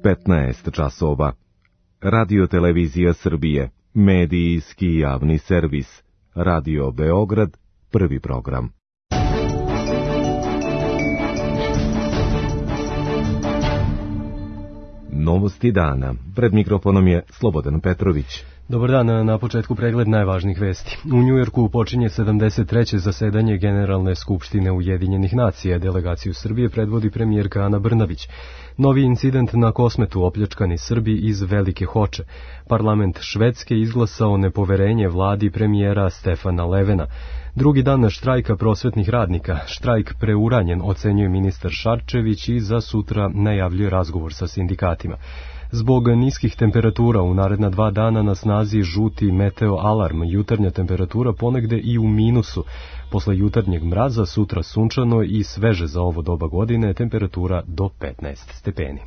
15 časova. Radio Televizija Srbije, medijski javni servis. Radio Beograd, prvi program. Novosti dana. Pred mikrofonom je Slobodan Petrović. Dobar dan, na početku pregled najvažnijih vesti. U Njujorku počinje 73. zasedanje Generalne skupštine Ujedinjenih nacija. Delegaciju Srbije predvodi premijerka Ana Brnabić. Novi incident na Kosmetu, opljačkani Srbi iz Velike Hoče. Parlament Švedske izglasao nepoverenje vladi premijera Stefana Levena. Drugi dan štrajka prosvetnih radnika. Štrajk preuranjen, ocenjuje ministar Šarčević i za sutra najavljuje razgovor sa sindikatima. Zbog niskih temperatura u naredna 2 dana na snazi žuti meteo alarm, jutarnja temperatura ponegde i u minusu. Posle jutarnjeg mraza sutra sunčano i sveže za ovo doba godine, temperatura do 15 stepeni.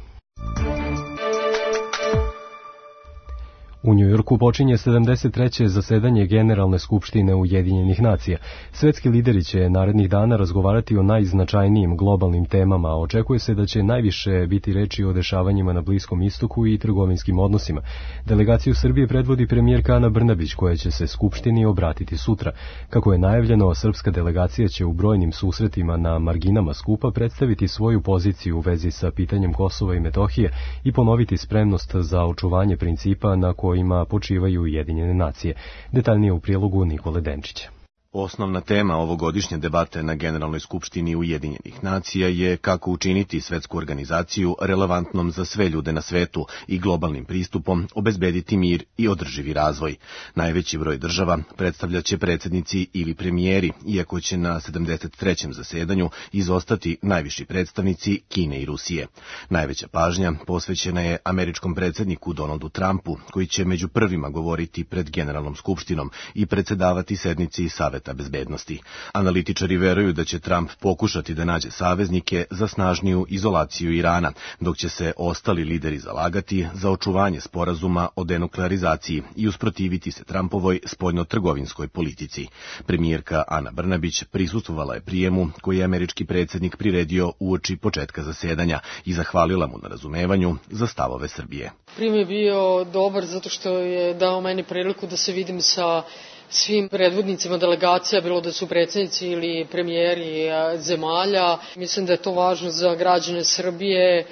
U Njujorku počinje 73. zasedanje Generalne skupštine Ujedinjenih nacija. Svetski lideri će narednih dana razgovarati o najznačajnijim globalnim temama, a očekuje se da će najviše biti reči o dešavanjima na Bliskom istoku i trgovinskim odnosima. Delegaciju Srbije predvodi premijerka Ana Brnabić, koja će se Skupštini obratiti sutra. Kako je najavljeno, srpska delegacija će u brojnim susretima na marginama skupa predstaviti svoju poziciju u vezi sa pitanjem Kosova i Metohije i ponoviti spremnost za očuvanje principa na kojima počivaju Ujedinjene nacije. Detaljnije u prilogu Nikole Denčića. Osnovna tema ovogodišnje debate na Generalnoj skupštini Ujedinjenih nacija je kako učiniti svetsku organizaciju relevantnom za sve ljude na svetu i globalnim pristupom obezbediti mir i održivi razvoj. Najveći broj država predstavljaće predsjednici ili premijeri, iako će na 73. zasedanju izostati najviši predstavnici Kine i Rusije. Najveća pažnja posvećena je američkom predsjedniku Donaldu Trumpu, koji će među prvima govoriti pred Generalnom skupštinom i predsedavati sednici Saveta bezbednosti. Analitičari veruju da će Trump pokušati da nađe saveznike za snažniju izolaciju Irana, dok će se ostali lideri zalagati za očuvanje sporazuma o denuklearizaciji i usprotiviti se Trumpovoj spoljno-trgovinskoj politici. Premijerka Ana Brnabić prisustvovala je prijemu koji je američki predsjednik priredio uoči početka zasedanja i zahvalila mu na razumevanju za stavove Srbije. Prijem je bio dobar zato što je dao meni priliku da se vidim sa svim predvodnicima delegacija, bilo da su predsjednici ili premijeri zemalja. Mislim da je to važno za građane Srbije.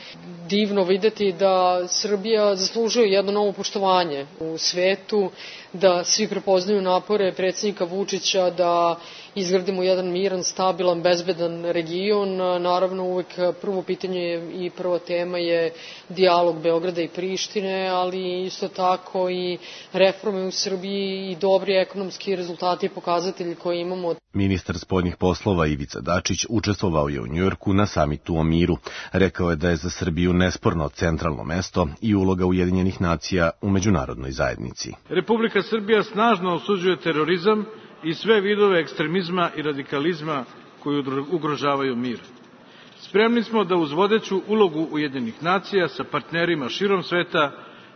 Divno videti da Srbija zaslužuje jedno novo poštovanje u svetu, da svi prepoznaju napore predsjednika Vučića da izgradimo jedan miran, stabilan, bezbedan region. Naravno, uvek prvo pitanje i prva tema je dijalog Beograda i Prištine, ali isto tako i reforme u Srbiji i dobri ekonomski rezultati i pokazatelji koje imamo. Ministar spoljnih poslova Ivica Dačić učestvovao je u Njujorku na samitu o miru. Rekao je da je za Srbiju nesporno centralno mesto i uloga Ujedinjenih nacija u međunarodnoj zajednici. Republika Srbija snažno osuđuje terorizam i sve vidove ekstremizma i radikalizma koji ugrožavaju mir. Spremni smo da uz vodeću ulogu Ujedinjenih nacija sa partnerima širom sveta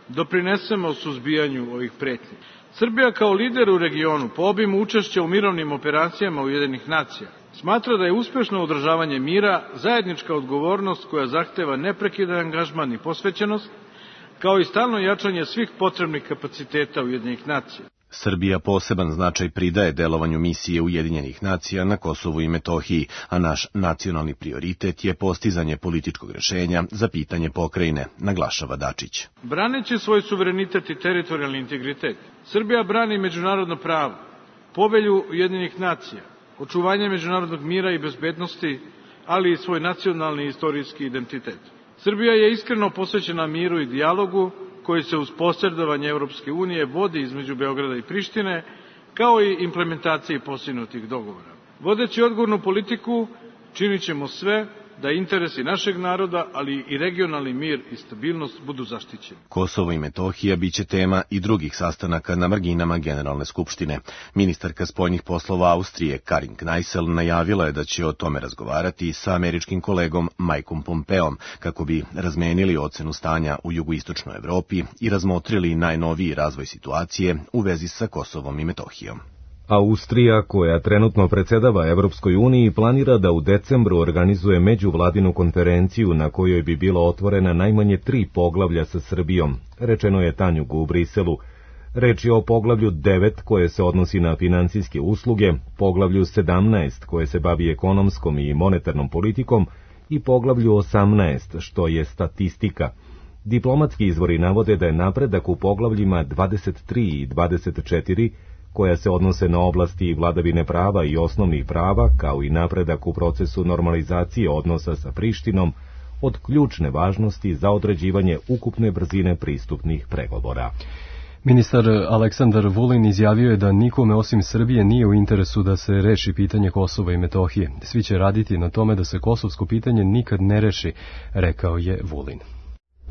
doprinesemo suzbijanju ovih pretnji. Srbija kao lider u regionu po obimu učešća u mirovnim operacijama Ujedinjenih nacija smatra da je uspešno održavanje mira zajednička odgovornost koja zahteva neprekidan angažman i posvećenost, kao i stalno jačanje svih potrebnih kapaciteta Ujedinjenih nacija. Srbija poseban značaj pridaje delovanju misije Ujedinjenih nacija na Kosovu i Metohiji, a naš nacionalni prioritet je postizanje političkog rešenja za pitanje pokrajine, naglašava Dačić. Braneći svoj suverenitet i teritorijalni integritet, Srbija brani međunarodno pravo, povelju Ujedinjenih nacija, očuvanje međunarodnog mira i bezbednosti, ali i svoj nacionalni i istorijski identitet. Srbija je iskreno posvećena miru i dijalogu, koji se uz posredovanje Europske unije vodi između Beograda i Prištine, kao i implementaciji postignutih dogovora. Vodeći odgovornu politiku, činit ćemo sve da interesi našeg naroda, ali i regionalni mir i stabilnost budu zaštićeni. Kosovo i Metohija biće tema i drugih sastanaka na marginama Generalne skupštine. Ministarka spoljnih poslova Austrije Karin Kneissel najavila je da će o tome razgovarati sa američkim kolegom Mikeom Pompeom, kako bi razmenili ocenu stanja u jugoistočnoj Evropi i razmotrili najnoviji razvoj situacije u vezi sa Kosovom i Metohijom. Austrija, koja trenutno predsedava Evropskoj uniji, planira da u decembru organizuje međuvladinu konferenciju na kojoj bi bilo otvorena najmanje 3 poglavlja sa Srbijom, rečeno je Tanjugu u Briselu. Reč je o poglavlju 9 koje se odnosi na finansijske usluge, poglavlju 17 koje se bavi ekonomskom i monetarnom politikom i poglavlju 18 što je statistika. Diplomatski izvori navode da je napredak u poglavljima 23 i 24 koja se odnose na oblasti vladavine prava i osnovnih prava, kao i napredak u procesu normalizacije odnosa sa Prištinom, od ključne važnosti za određivanje ukupne brzine pristupnih pregovora. Ministar Aleksandar Vulin izjavio je da nikome osim Srbije nije u interesu da se reši pitanje Kosova i Metohije. Svi će raditi na tome da se kosovsko pitanje nikad ne reši, rekao je Vulin.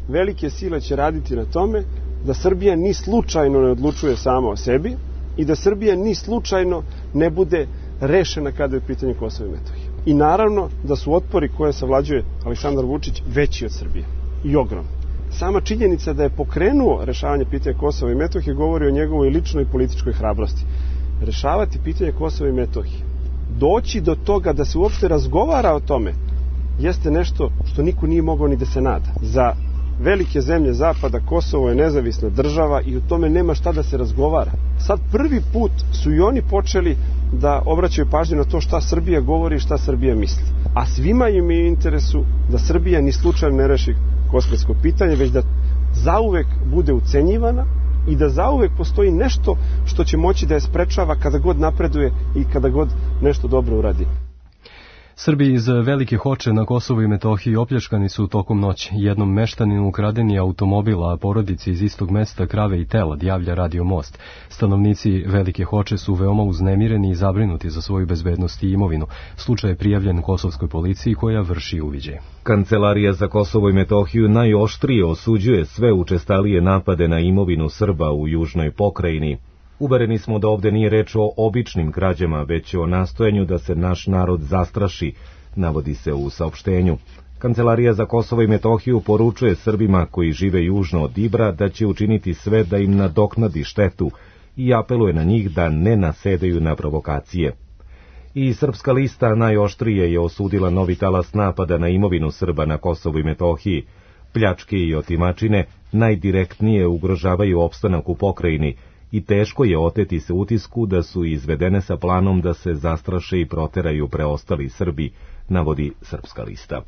Velike sile će raditi na tome da Srbija ni slučajno ne odlučuje sama o sebi i da Srbija ni slučajno ne bude rešena kada je pitanje Kosova i Metohije. I naravno da su otpori koje savlađuje Aleksandar Vučić veći od Srbije i ogromni. Sama činjenica da je pokrenuo rešavanje pitanja Kosova i Metohije govori o njegovoj ličnoj političkoj hrabrosti. Rešavati pitanje Kosova i Metohije, doći do toga da se uopšte razgovara o tome, jeste nešto što niko nije mogao ni da se nada. Za velike zemlje Zapada Kosovo je nezavisna država i o tome nema šta da se razgovara. Sad prvi put su i oni počeli da obraćaju pažnju na to šta Srbija govori i šta Srbija misli. A svima im je interesu da Srbija ni slučajno ne reši kosovsko pitanje, već da zauvek bude ucenjivana i da zauvek postoji nešto što će moći da je sprečava kada god napreduje i kada god nešto dobro uradi. Srbi iz Velike Hoče na Kosovu i Metohiji opljačkani su tokom noći. Jednom meštaninu ukraden je automobil, a porodici iz istog mesta krave i telad, javlja Radio Most. Stanovnici Velike Hoče su veoma uznemireni i zabrinuti za svoju bezbednost i imovinu. Slučaj je prijavljen kosovskoj policiji koja vrši uviđaj. Kancelarija za Kosovo i Metohiju najoštrije osuđuje sve učestalije napade na imovinu Srba u južnoj pokrajini. Uvereni smo da ovde nije reč o običnim krađama, već o nastojanju da se naš narod zastraši, navodi se u saopštenju. Kancelarija za Kosovo i Metohiju poručuje Srbima koji žive južno od Ibra da će učiniti sve da im nadoknadi štetu i apeluje na njih da ne nasedaju na provokacije. I Srpska lista najoštrije je osudila novi talas napada na imovinu Srba na Kosovu i Metohiji. Pljačke i otimačine najdirektnije ugrožavaju opstanak u pokrajini i teško je oteti se utisku da su izvedene sa planom da se zastraše i proteraju preostali Srbi, navodi Srpska lista.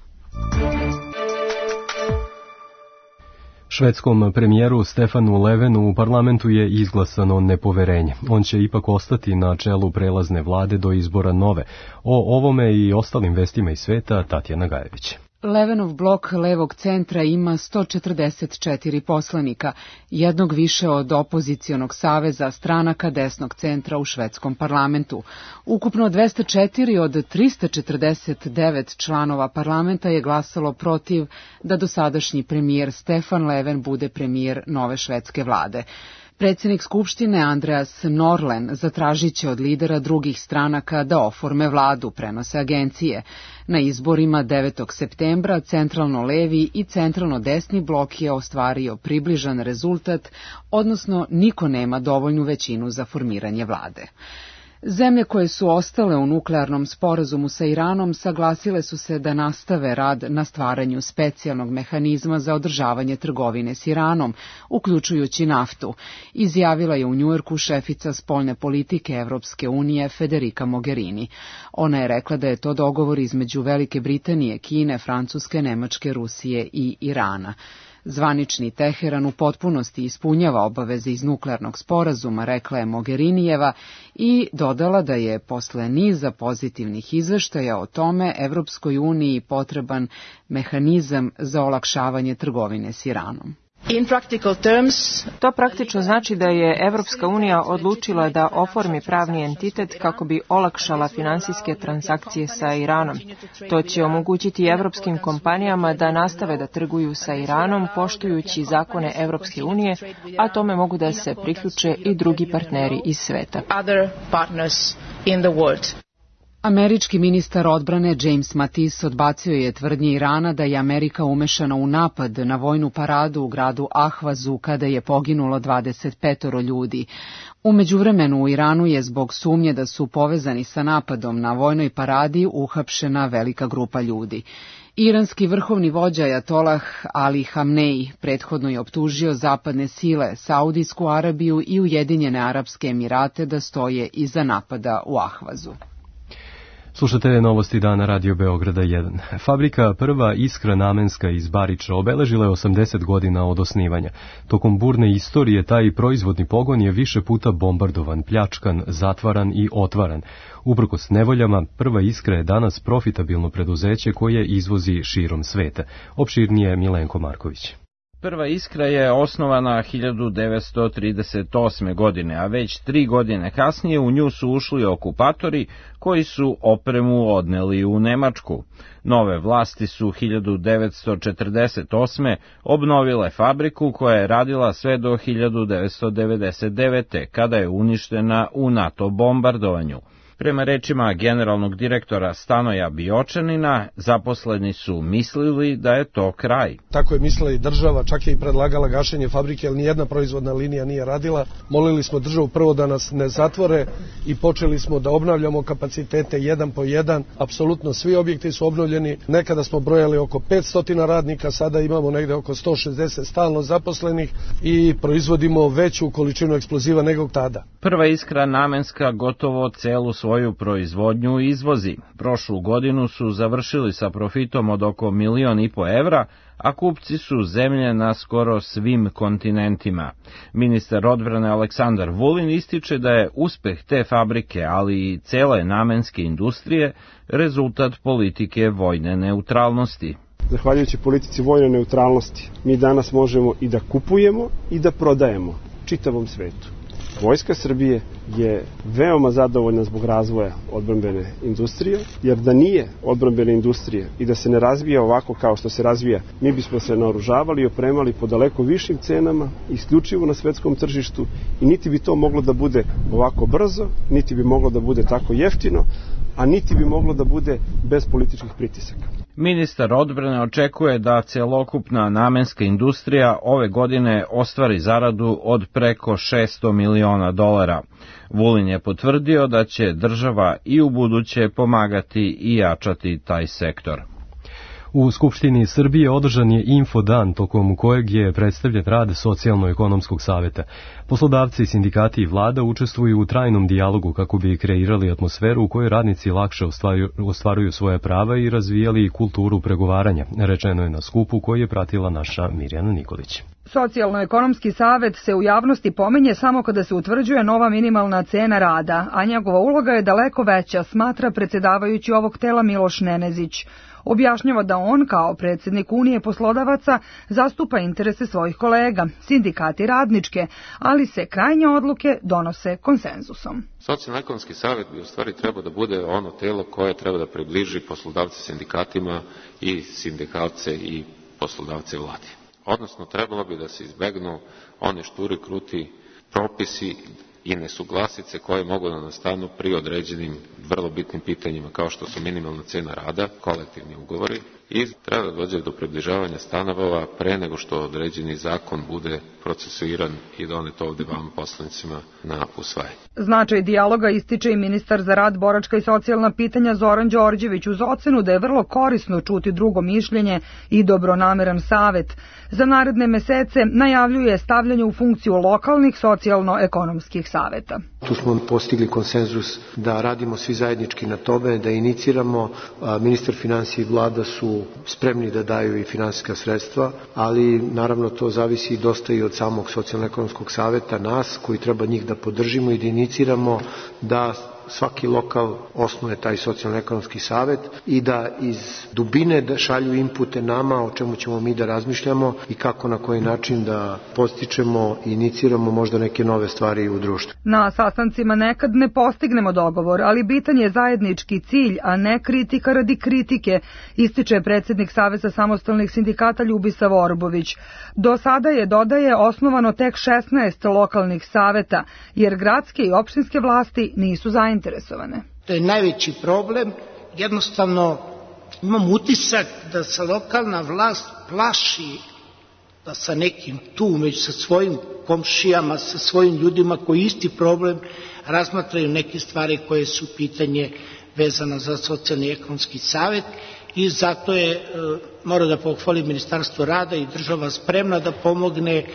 Švedskom premijeru Stefanu Löfvenu u parlamentu je izglasano nepoverenje. On će ipak ostati na čelu prelazne vlade do izbora nove. O ovome i ostalim vestima iz sveta Tatjana Gajević. Löfvenov blok levog centra ima 144 poslanika, jednog više od opozicionog saveza stranaka desnog centra u švedskom parlamentu. Ukupno 204 od 349 članova parlamenta je glasalo protiv da dosadašnji premijer Stefan Löfven bude premijer nove švedske vlade. Predsjednik Skupštine Andreas Norlén zatražit će od lidera drugih stranaka da oforme vladu, prenose agencije. Na izborima 9. septembra centralno levi i centralno desni blok je ostvario približan rezultat, odnosno niko nema dovoljnu većinu za formiranje vlade. Zemlje koje su ostale u nuklearnom sporazumu sa Iranom saglasile su se da nastave rad na stvaranju specijalnog mehanizma za održavanje trgovine s Iranom, uključujući naftu, izjavila je u Njujorku šefica spoljne politike Evropske unije Federica Mogherini. Ona je rekla da je to dogovor između Velike Britanije, Kine, Francuske, Nemačke, Rusije i Irana. Zvanični Teheran u potpunosti ispunjava obaveze iz nuklearnog sporazuma, rekla je Mogherinijeva i dodala da je posle niza pozitivnih izveštaja o tome Evropskoj uniji potreban mehanizam za olakšavanje trgovine s Iranom. To praktično znači da je Evropska unija odlučila da oformi pravni entitet kako bi olakšala finansijske transakcije sa Iranom. To će omogućiti evropskim kompanijama da nastave da trguju sa Iranom poštujući zakone Evropske unije, a tome mogu da se priključe i drugi partneri iz sveta. Američki ministar odbrane James Mattis odbacio je tvrdnje Irana da je Amerika umešana u napad na vojnu paradu u gradu Ahvazu kada je poginulo 25 ljudi. U međuvremenu u Iranu je zbog sumnje da su povezani sa napadom na vojnoj paradi uhapšena velika grupa ljudi. Iranski vrhovni vođa Ajatolah Ali Hamnej prethodno je optužio zapadne sile, Saudijsku Arabiju i Ujedinjene Arapske Emirate da stoje iza napada u Ahvazu. Slušate novosti dana Radio Beograda 1. Fabrika Prva Iskra namenska iz Bariča obeležila je 80 godina od osnivanja. Tokom burne istorije taj proizvodni pogon je više puta bombardovan, pljačkan, zatvaran i otvaran. Uprkos nevoljama, Prva Iskra je danas profitabilno preduzeće koje izvozi širom sveta. Opširnije Milenko Marković. Prva Iskra je osnovana 1938. godine, a već 3 godine kasnije u nju su ušli okupatori koji su opremu odneli u Nemačku. Nove vlasti su 1948. obnovile fabriku koja je radila sve do 1999. kada je uništena u NATO bombardovanju. Prema rečima generalnog direktora Stanoja Biočanina, zaposleni su mislili da je to kraj. Tako je mislila i država, čak je i predlagala gašenje fabrike, ali nijedna proizvodna linija nije radila. Molili smo državu prvo da nas ne zatvore i počeli smo da obnavljamo kapacitete jedan po jedan. Apsolutno svi objekti su obnovljeni. Nekada smo brojali oko 500 radnika, sada imamo negde oko 160 stalno zaposlenih i proizvodimo veću količinu eksploziva nego tada. Prva Iskra namenska gotovo celu svoju proizvodnju izvozi. Prošlu godinu su završili sa profitom od oko 1,5 miliona evra, a kupci su zemlje na skoro svim kontinentima. Ministar odbrane Aleksandar Vulin ističe da je uspeh te fabrike, ali i cele namenske industrije, rezultat politike vojne neutralnosti. Zahvaljujući politici vojne neutralnosti, mi danas možemo i da kupujemo i da prodajemo čitavom svetu. Vojska Srbije je veoma zadovoljna zbog razvoja odbrambene industrije, jer da nije odbrambene industrije i da se ne razvija ovako kao što se razvija, mi bismo se naoružavali i opremali po daleko višim cenama, isključivo na svetskom tržištu i niti bi to moglo da bude ovako brzo, niti bi moglo da bude tako jeftino, a niti bi moglo da bude bez političkih pritisaka. Ministar odbrane očekuje da celokupna namenska industrija ove godine ostvari zaradu od preko $600 miliona. Vulin je potvrdio da će država i u buduće pomagati i jačati taj sektor. U Skupštini Srbije održan je infodan tokom kojeg je predstavljen rad Socijalno-ekonomskog saveta. Poslodavci, sindikati i vlada učestvuju u trajnom dijalogu kako bi kreirali atmosferu u kojoj radnici lakše ostvaruju svoje prava i razvijali kulturu pregovaranja, rečeno je na skupu koji je pratila naša Mirjana Nikolić. Socijalno-ekonomski savet se u javnosti pominje samo kada se utvrđuje nova minimalna cena rada, a njegova uloga je daleko veća, smatra predsjedavajući ovog tela Miloš Nenezić. Objašnjava da on, kao predsjednik Unije poslodavaca, zastupa interese svojih kolega, sindikati radničke, ali se krajnje odluke donose konsenzusom. Socijalno-ekonomski savjet bi u stvari trebao da bude ono telo koje treba da približi poslodavce sindikatima i sindikalce i poslodavce vladi. Odnosno, trebalo bi da se izbegnu one šturi, kruti propisi i nesuglasice koje mogu da nastanu pri određenim vrlo bitnim pitanjima kao što su minimalna cena rada, kolektivni ugovori i treba da dođe do približavanja stanova pre nego što određeni zakon bude procesuiran i donet ovde vam poslanicima na usvajanje. Značaj dijaloga ističe i ministar za rad, boračka i socijalna pitanja Zoran Đorđević uz ocenu da je vrlo korisno čuti drugo mišljenje i dobronameran savet. Za naredne mesece najavljuje stavljanje u funkciju lokalnih socijalno-ekonomskih saveta. Tu smo postigli konsenzus da radimo svi zajednički na tome, da iniciramo. Ministar finansija i vlada su spremni da daju i finansijska sredstva, ali naravno to zavisi dosta i od samog socijalno-ekonomskog saveta, nas koji treba njih da podržimo i da iniciramo da svaki lokal osnuje taj socijalno-ekonomski savet i da iz dubine da šalju inpute nama o čemu ćemo mi da razmišljamo i kako na koji način da postičemo i iniciramo možda neke nove stvari u društvu. Na sastancima nekad ne postignemo dogovor, ali bitan je zajednički cilj, a ne kritika radi kritike, ističe predsjednik Saveza samostalnih sindikata Ljubisa Vorbović. Do sada je, dodaje, osnovano tek 16 lokalnih saveta, jer gradske i opštinske vlasti nisu zainteresovane. To je najveći problem. Jednostavno imam utisak da se lokalna vlast plaši da sa nekim tu, među sa svojim komšijama, sa svojim ljudima koji isti problem razmatraju neke stvari koje su pitanje vezano za socijalni i ekonomski savet i zato je, mora da pohvalim Ministarstvo rada i država spremna da pomogne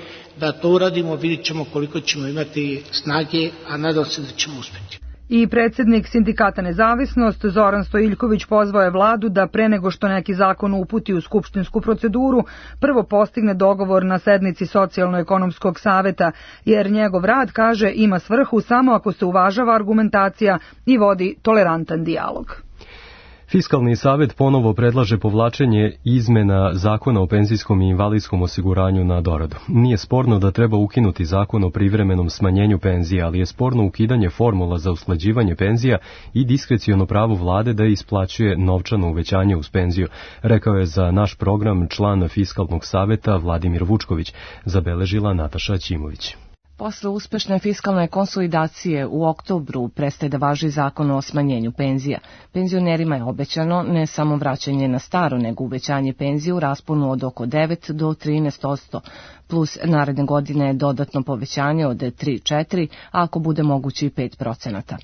da to uradimo, vidit ćemo koliko ćemo imati snage, a nadam se da ćemo uspeti. I predsjednik Sindikata Nezavisnost Zoran Stojiljković pozvao je vladu da pre nego što neki zakon uputi u skupštinsku proceduru, prvo postigne dogovor na sednici Socijalno-ekonomskog saveta, jer njegov rad, kaže, ima svrhu samo ako se uvažava argumentacija i vodi tolerantan dijalog. Fiskalni savet ponovo predlaže povlačenje izmena Zakona o penzijskom i invalidskom osiguranju na doradu. Nije sporno da treba ukinuti Zakon o privremenom smanjenju penzija, ali je sporno ukidanje formula za usklađivanje penzija i diskreciono pravo vlade da isplaćuje novčano uvećanje uz penziju, rekao je za naš program član Fiskalnog saveta Vladimir Vučković, zabeležila Nataša Ćimović. Posle uspešne fiskalne konsolidacije u oktobru prestaje da važi zakon o smanjenju penzija. Penzionerima je obećano ne samo vraćanje na staro, nego uvećanje penzije u rasponu od oko 9 do 13%, plus naredne godine dodatno povećanje od 3-4, a ako bude moguće i 5%.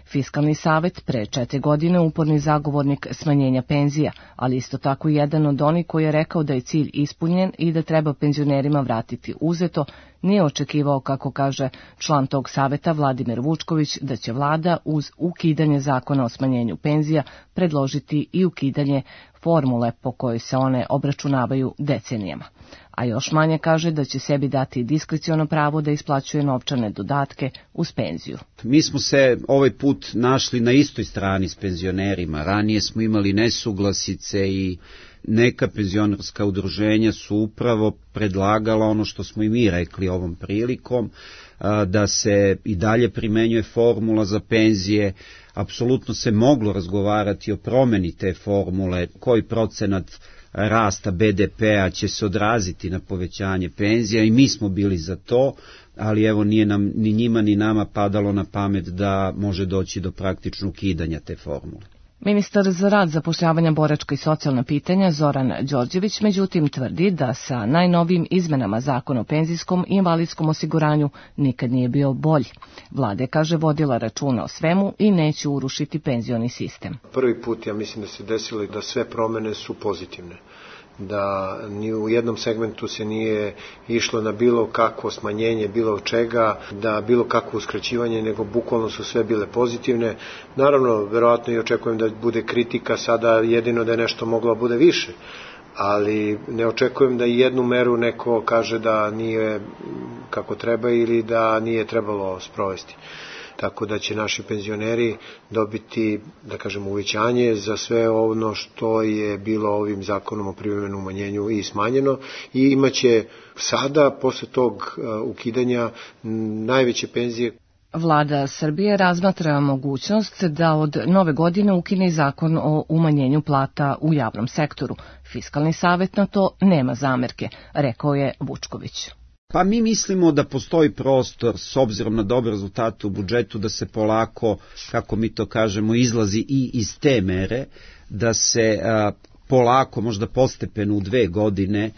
Fiskalni savet pre 4 godine uporni zagovornik smanjenja penzija, ali isto tako i jedan od onih koji je rekao da je cilj ispunjen i da treba penzionerima vratiti uzeto, nije očekivao, kako kaže član tog saveta Vladimir Vučković, da će vlada uz ukidanje zakona o smanjenju penzija predložiti i ukidanje formule po kojoj se one obračunavaju decenijama. A još manje kaže da će sebi dati diskreciono pravo da isplaćuje novčane dodatke uz penziju. Mi smo se ovaj put našli na istoj strani s penzionerima. Ranije smo imali nesuglasice i neka penzionerska udruženja su upravo predlagala ono što smo i mi rekli ovom prilikom, da se i dalje primenjuje formula za penzije. Apsolutno se moglo razgovarati o promeni te formule, koji procenat rasta BDP-a će se odraziti na povećanje penzija i mi smo bili za to, ali evo nije nam ni njima ni nama padalo na pamet da može doći do praktičnog ukidanja te formule. Ministar za rad, zapošljavanja, boračka i socijalna pitanja Zoran Đorđević međutim tvrdi da sa najnovijim izmenama Zakona o penzijskom i invalidskom osiguranju nikad nije bio bolji. Vlada je, kaže, vodila računa o svemu i neće urušiti penzioni sistem. Prvi put, ja mislim da se desilo da sve promene su pozitivne. Da ni u jednom segmentu se nije išlo na bilo kakvo smanjenje, bilo čega, da bilo kakvo uskraćivanje, nego bukvalno su sve bile pozitivne. Naravno, verovatno i očekujem da bude kritika sada, jedino da je nešto moglo da bude više, ali ne očekujem da jednu meru neko kaže da nije kako treba ili da nije trebalo sprovesti. Tako da će naši penzioneri dobiti, da kažem, uvećanje za sve ono što je bilo ovim zakonom o privremenom umanjenju i smanjeno i imaće sada, posle tog ukidanja, najveće penzije. Vlada Srbije razmatra mogućnost da od nove godine ukine zakon o umanjenju plata u javnom sektoru. Fiskalni savet na to nema zamerke, rekao je Vučković. Pa mi mislimo da postoji prostor, s obzirom na dobre rezultate u budžetu, da se polako, kako mi to kažemo, izlazi i iz te mere, da se polako, možda postepeno u 2 godine,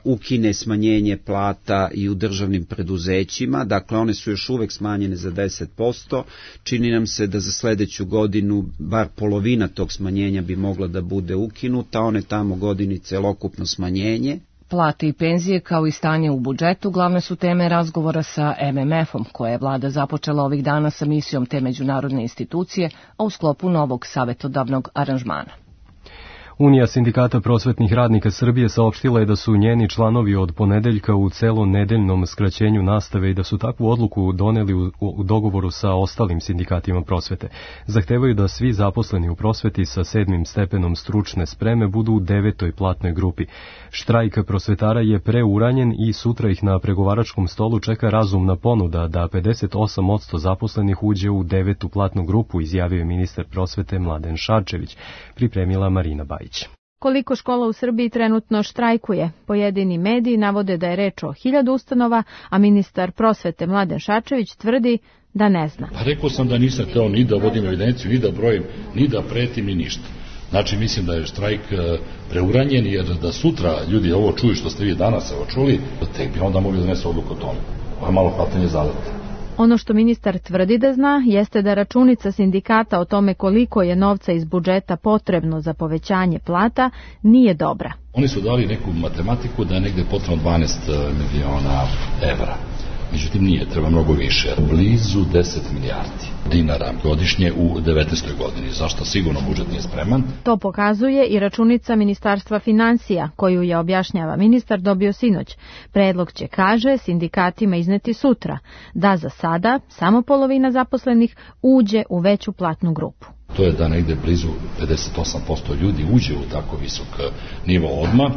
ukine smanjenje plata i u državnim preduzećima. Dakle, one su još uvek smanjene za 10%. Čini nam se da za sledeću godinu bar polovina tog smanjenja bi mogla da bude ukinuta, one tamo godini celokupno smanjenje. Plate i penzije kao i stanje u budžetu glavne su teme razgovora sa MMF-om, koje je vlada započela ovih dana sa misijom te međunarodne institucije, a u sklopu novog savetodavnog aranžmana. Unija sindikata prosvetnih radnika Srbije saopštila je da su njeni članovi od ponedeljka u celonedeljnom skraćenju nastave i da su takvu odluku doneli u dogovoru sa ostalim sindikatima prosvete. Zahtevaju da svi zaposleni u prosveti sa 7. stepenom stručne spreme budu u 9. platnoj grupi. Štrajk prosvetara je preuranjen i sutra ih na pregovaračkom stolu čeka razumna ponuda da 58% zaposlenih uđe u 9. platnu grupu, izjavio je ministar prosvete Mladen Šarčević, pripremila Marina Bajić. Koliko škola u Srbiji trenutno štrajkuje? Pojedini mediji navode da je reč o 1000 ustanova, a ministar prosvete Mladen Šarčević tvrdi da ne zna. Pa rekao sam da nisam hteo ni da vodim evidenciju, ni da brojim, ni da pretim, ni ništa. Znači, mislim da je štrajk preuranjen, jer da sutra ljudi ovo čuju što ste vi danas čuli, tek bi onda mogli donesti odluku o tome. Ovo je malo hvatanje zadata. Ono što ministar tvrdi da zna jeste da računica sindikata o tome koliko je novca iz budžeta potrebno za povećanje plata nije dobra. Oni su dali neku matematiku da je negde potrebno 12 miliona evra. Međutim, nije, treba mnogo više. Blizu 10 milijardi dinara godišnje u 19. godini. Zašto sigurno budžet nije spreman? To pokazuje i računica Ministarstva finansija, koju je, objašnjava ministar, dobio sinoć. Predlog će, kaže, sindikatima izneti sutra, da za sada samo polovina zaposlenih uđe u veću platnu grupu. To je da negde blizu 58% ljudi uđe u tako visok nivo odmah,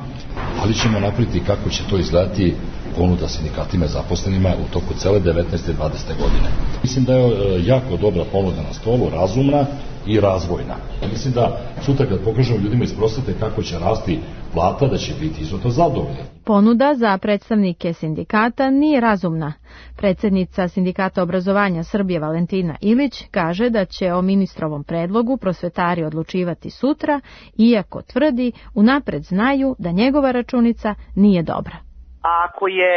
ali ćemo napraviti kako će to izgledati ponuda sindikatima zaposlenima u toku cele 19. i 20. godine. Mislim da je jako dobra ponuda na stolu, razumna i razvojna. Mislim da sutra kad pokažemo ljudima iz prosvete kako će rasti plata, da će biti izuzetno zadovoljni. Ponuda za predstavnike sindikata nije razumna. Predsjednica Sindikata obrazovanja Srbije Valentina Ilić kaže da će o ministrovom predlogu prosvetari odlučivati sutra, iako tvrdi unapred znaju da njegova računica nije dobra. Ako je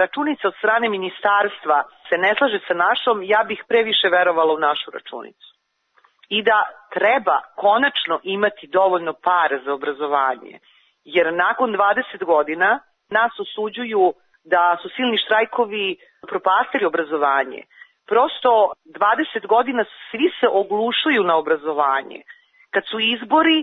računica od strane ministarstva se ne slaže sa našom, ja bih previše verovala u našu računicu. I da treba konačno imati dovoljno para za obrazovanje. Jer nakon 20 godina nas osuđuju da su silni štrajkovi propastili obrazovanje. Prosto 20 godina svi se oglušuju na obrazovanje. Kad su izbori,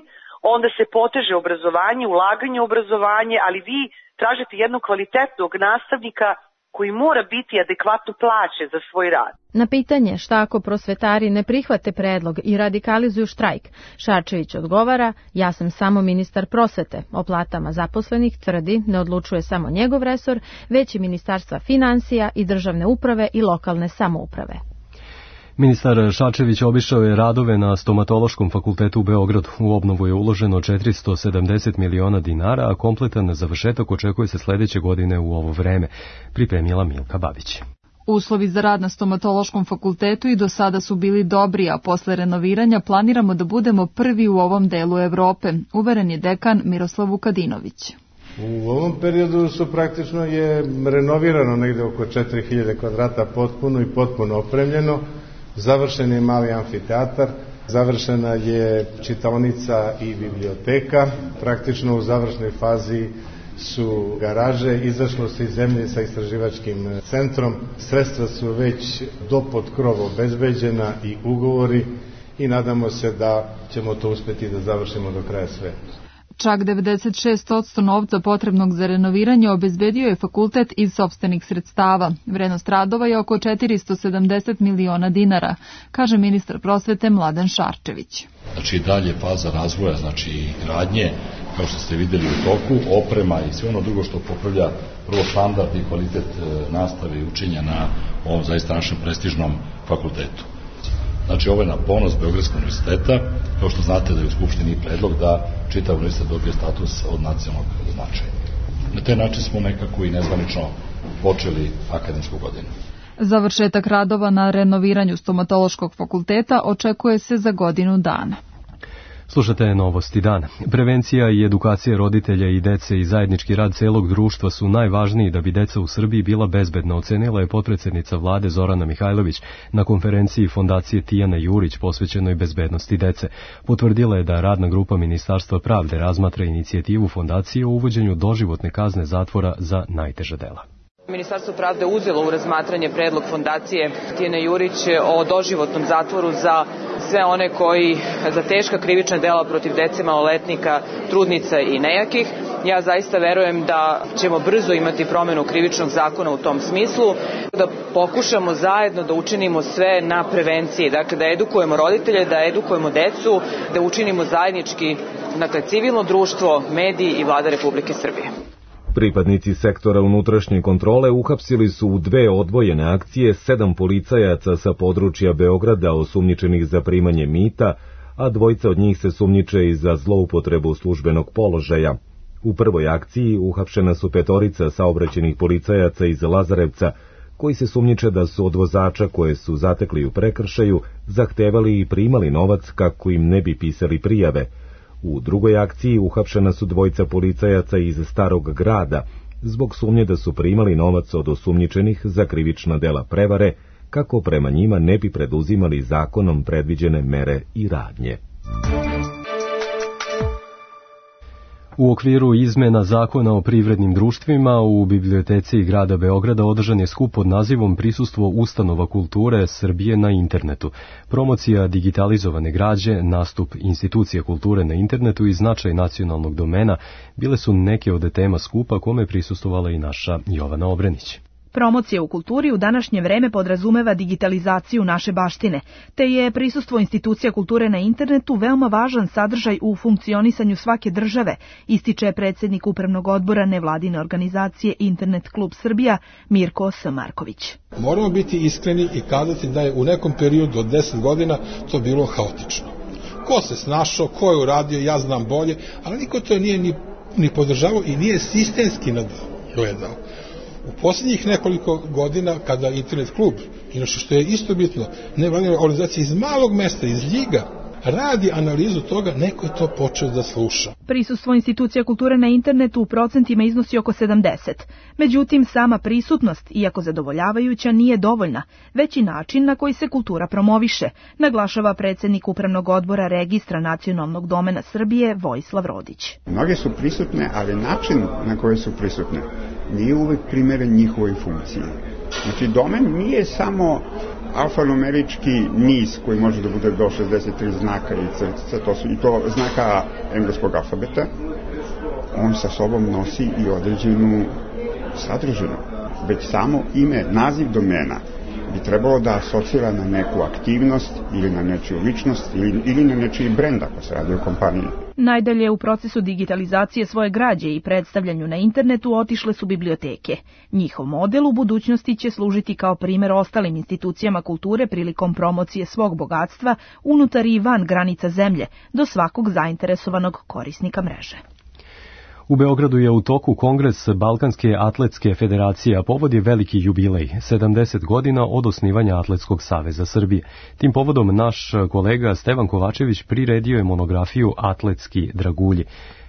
onda se poteže obrazovanje, ulaganje u obrazovanje, ali vi tražite jednog kvalitetnog nastavnika koji mora biti adekvatno plaćen za svoj rad. Na pitanje šta ako prosvetari ne prihvate predlog i radikalizuju štrajk, Šarčević odgovara: ja sam samo ministar prosvete. O platama zaposlenih, tvrdi, ne odlučuje samo njegov resor, već i Ministarstva finansija i državne uprave i lokalne samouprave. Ministar Šarčević obišao je radove na Stomatološkom fakultetu u Beogradu. U obnovu je uloženo 470 miliona dinara, a kompletan završetak očekuje se sledeće godine u ovo vreme, pripremila Milka Babić. Uslovi za rad na Stomatološkom fakultetu i do sada su bili dobri, a posle renoviranja planiramo da budemo prvi u ovom delu Evrope, uveren je dekan Miroslav Vukadinović. U ovom periodu su praktično je renovirano negde oko 4000 kvadrata potpuno i potpuno opremljeno. Završen je mali amfiteatar, završena je čitaonica i biblioteka, praktično u završnoj fazi su garaže, izašlo se iz zemlje sa istraživačkim centrom, sredstva su već do pod krov obezbeđena i ugovori i nadamo se da ćemo to uspeti da završimo do kraja sveta. Čak 96% novca potrebnog za renoviranje obezbedio je fakultet iz sopstvenih sredstava. Vrednost radova je oko 470 miliona dinara, kaže ministar prosvete Mladen Šarčević. Znači dalje faza razvoja, znači gradnje, kao što ste videli u toku, oprema i sve ono drugo što popravlja prvo standard i kvalitet nastave i učenja na ovom zaista našem prestižnom fakultetu. Znači, ovo je na ponos Beogradskog univerziteta, kao što znate da je u Skupštini predlog da čitav univerzitet dobije status od nacionalnog značaja. Na taj način smo nekako i nezvanično počeli akademsku godinu. Završetak radova na renoviranju Stomatološkog fakulteta očekuje se za godinu dana. Slušate Novosti dana. Prevencija i edukacija roditelja i dece i zajednički rad celog društva su najvažniji da bi deca u Srbiji bila bezbedna, ocenila je potpredsednica vlade Zorana Mihajlović na konferenciji Fondacije Tijana Jurić posvećenoj bezbednosti dece. Potvrdila je da radna grupa Ministarstva pravde razmatra inicijativu fondacije o uvođenju doživotne kazne zatvora za najteža dela. Ministarstvo pravde uzelo u razmatranje predlog fondacije Tijana Jurić o doživotnom zatvoru za sve one koji za teška krivična dela protiv dece, maloletnika, trudnica i nejakih. Ja zaista verujem da ćemo brzo imati promenu krivičnog zakona u tom smislu, da pokušamo zajedno da učinimo sve na prevenciji, dakle da edukujemo roditelje, da edukujemo decu, da učinimo zajednički, dakle civilno društvo, mediji i vlada Republike Srbije. Pripadnici sektora unutrašnje kontrole uhapsili su u 2 odvojene akcije 7 policajaca sa područja Beograda osumnjičenih za primanje mita, a 2 od njih se sumnjiče i za zloupotrebu službenog položaja. U prvoj akciji uhapšena su 5 saobraćajnih policajaca iz Lazarevca koji se sumnjiče da su od vozača koje su zatekli u prekršaju zahtevali i primali novac kako im ne bi pisali prijave. U drugoj akciji uhapšena su dvojica policajaca iz Starog grada zbog sumnje da su primali novac od osumnjičenih za krivična dela prevare, kako prema njima ne bi preduzimali zakonom predviđene mere i radnje. U okviru izmena zakona o privrednim društvima u biblioteci grada Beograda održan je skup pod nazivom Prisustvo ustanova kulture Srbije na internetu. Promocija digitalizovane građe, nastup institucija kulture na internetu i značaj nacionalnog domena bile su neke od tema skupa kome je prisustvovala i naša Jovana Obrenić. Promocija u kulturi u današnje vreme podrazumeva digitalizaciju naše baštine, te je prisustvo institucija kulture na internetu veoma važan sadržaj u funkcionisanju svake države, ističe predsjednik Upravnog odbora nevladine organizacije Internet klub Srbija Mirko S. Marković. Moramo biti iskreni i kazati da je u nekom periodu od 10 godina to bilo haotično. Ko se snašao, ko je uradio, ja znam bolje, ali niko to nije ni podržavao i nije sistemski gledao. U posljednjih nekoliko godina, kada Internet klub, inače što je isto bitno, nevladina organizacija iz malog mesta, iz Ljiga, radi analizu toga, neko je to počeo da sluša. Prisustvo institucija kulture na internetu u procentima iznosi oko 70. Međutim, sama prisutnost, iako zadovoljavajuća, nije dovoljna, već i način na koji se kultura promoviše, naglašava predsjednik Upravnog odbora Registra nacionalnog domena Srbije Vojislav Rodić. Mnoge su prisutne, ali način na koji su prisutne nije uvek primeren njihovoj funkciji. Znači, domen nije samo alfanumerički niz koji može da bude do 63 znaka i crtica, i to znaka engleskog alfabeta. On sa sobom nosi i određenu sadržinu. Već samo ime, naziv domena bi trebalo da asocira na neku aktivnost ili na nečiju ličnost ili na nečiji brend ako se radi o kompaniji. Najdalje u procesu digitalizacije svoje građe i predstavljanju na internetu otišle su biblioteke. Njihov model u budućnosti će služiti kao primjer ostalim institucijama kulture prilikom promocije svog bogatstva unutar i van granica zemlje do svakog zainteresovanog korisnika mreže. U Beogradu je u toku kongres Balkanske atletske federacije, a povod je veliki jubilej, 70 godina od osnivanja Atletskog saveza Srbije. Tim povodom naš kolega Stevan Kovačević priredio je monografiju Atletski dragulji.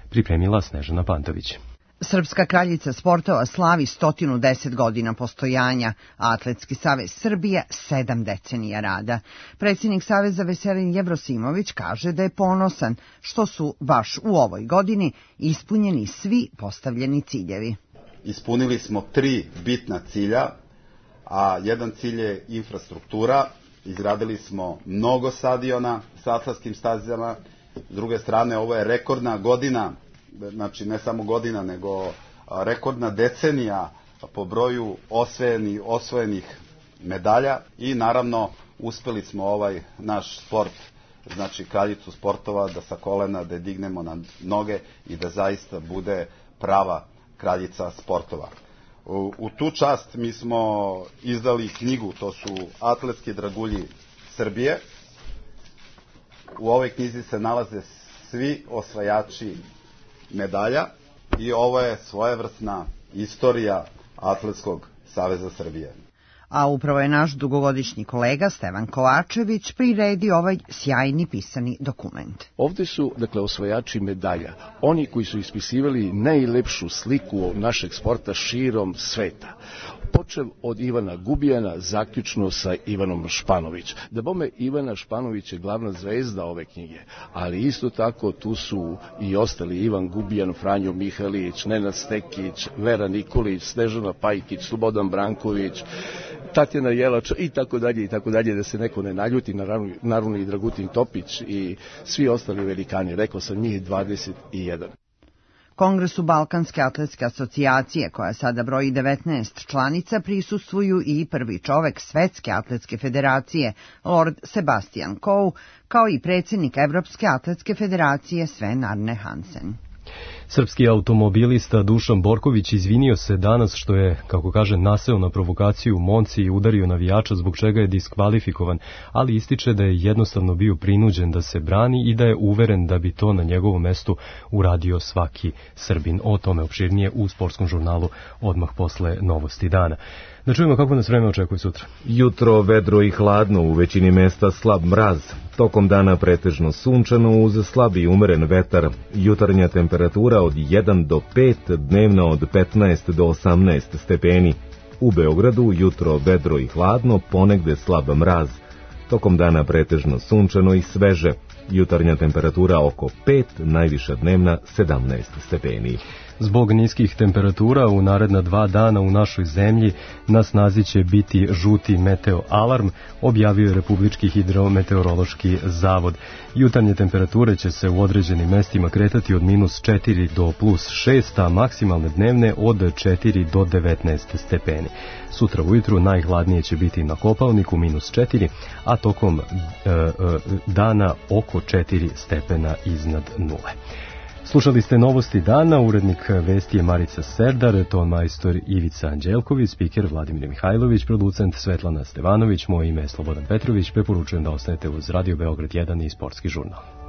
Pripremila Snežana Pantović. Srpska kraljica sportova slavi 110 godina postojanja, a Atletski savez Srbije 7 decenija rada. Predsjednik saveza Veselin Jevrosimović kaže da je ponosan što su baš u ovoj godini ispunjeni svi postavljeni ciljevi. Ispunili smo 3 bitna cilja, a jedan cilj je infrastruktura. Izgradili smo mnogo stadiona sa atlatskim stazama. S druge strane, ovo je rekordna godina, znači ne samo godina, nego rekordna decenija po broju osvojenih medalja i naravno uspeli smo ovaj naš sport, znači kraljicu sportova, da sa kolena da dignemo na noge i da zaista bude prava kraljica sportova. U tu čast mi smo izdali knjigu, to su Atletski dragulji Srbije. U ovoj knjizi se nalaze svi osvajači medalja i ovo je svojevrsna istorija Atletskog saveza Srbije. A upravo je naš dugogodišnji kolega Stevan Kovačević priredio ovaj sjajni pisani dokument. Ovde su, osvajači medalja, oni koji su ispisivali najlepšu sliku našeg sporta širom sveta. Počev od Ivana Gubijana, zaključno sa Ivanom Španović. Da bome, Ivana Španović je glavna zvezda ove knjige, ali isto tako tu su i ostali Ivan Gubijan, Franjo Mihalić, Nenad Stekić, Vera Nikolić, Snežana Pajkić, Slobodan Branković, Tatjana Jelač i tako dalje, da se neko ne naljuti, naravno i Dragutin Topić i svi ostali velikani, rekao sam njih 21. Kongresu Balkanske atletske asocijacije, koja sada broji 19 članica, prisustvuju i prvi čovek Svetske atletske federacije, Lord Sebastian Coe, kao i predsjednik Evropske atletske federacije Sven Arne Hansen. Srpski automobilista Dušan Borković izvinio se danas što je, kako kaže, naseo na provokaciju u Monci i udario navijača, zbog čega je diskvalifikovan, ali ističe da je jednostavno bio prinuđen da se brani i da je uveren da bi to na njegovom mestu uradio svaki Srbin. O tome opširnije u sportskom žurnalu odmah posle novosti dana. Da čujemo kako nas vreme očekuje sutra. Jutro vedro i hladno, u većini mesta slab mraz. Tokom dana pretežno sunčano uz slab i umeren vetar. Jutarnja temperatura od 1 do 5, dnevna od 15 do 18 stepeni. U Beogradu jutro vedro i hladno, ponegde slab mraz. Tokom dana pretežno sunčano i sveže. Jutarnja temperatura oko 5, najviša dnevna 17 stepeni. Zbog niskih temperatura u naredna 2 dana u našoj zemlji na snazi će biti žuti meteo alarm, objavio je Republički hidrometeorološki zavod. Jutarnje temperature će se u određenim mestima kretati od -4 do +6, a maksimalne dnevne od 4 do 19 stepeni. Sutra ujutru najhladnije će biti na Kopaoniku -4, a tokom dana oko 4 stepena iznad nule. Slušali ste novosti dana, urednik vesti je Marica Serdar, ton majstor Ivica Anđelković, spiker Vladimir Mihajlović, producent Svetlana Stevanović, moje ime je Slobodan Petrović, preporučujem da ostanete uz Radio Beograd 1 i Sportski žurnal.